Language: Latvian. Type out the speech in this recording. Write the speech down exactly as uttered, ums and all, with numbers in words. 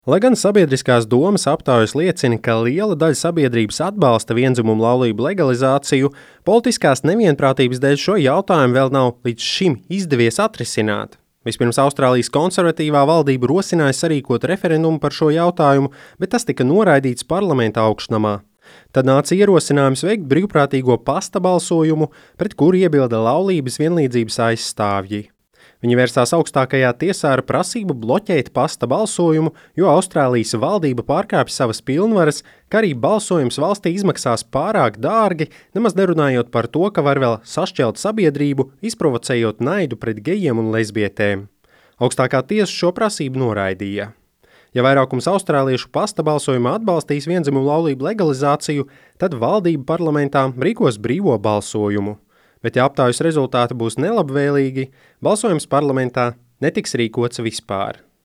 Lai gan sabiedriskās domas aptaujas liecina, ka liela daļa sabiedrības atbalsta viendzimumu laulību legalizāciju, politiskās nevienprātības dēļ šo jautājumu vēl nav līdz šim izdevies atrisināt. Vispirms Austrālijas konservatīvā valdība rosināja sarīkot referendumu par šo jautājumu, bet tas tika noraidīts parlamenta augšnamā. Tad nāca ierosinājums veikt brīvprātīgo pasta balsojumu, pret kuru iebilda laulības vienlīdzības aizstāvji. Viņi vērsās augstākajā tiesā ar prasību bloķēt pasta balsojumu, jo Austrālijas valdība pārkāpj savas pilnvaras, ka arī balsojums valstī izmaksās pārāk dārgi, nemaz nerunājot par to, ka var vēl sašķelt sabiedrību, izprovocējot naidu pret gejiem un lesbietēm. Augstākā tiesa šo prasību noraidīja. Ja vairākums austrāliešu pasta balsojumā atbalstīs viendzimumu laulību legalizāciju, tad valdība parlamentā rīkos brīvo balsojumu. Bet ja aptaujas rezultāti būs nelabvēlīgi, balsojums parlamentā netiks rīkots vispār.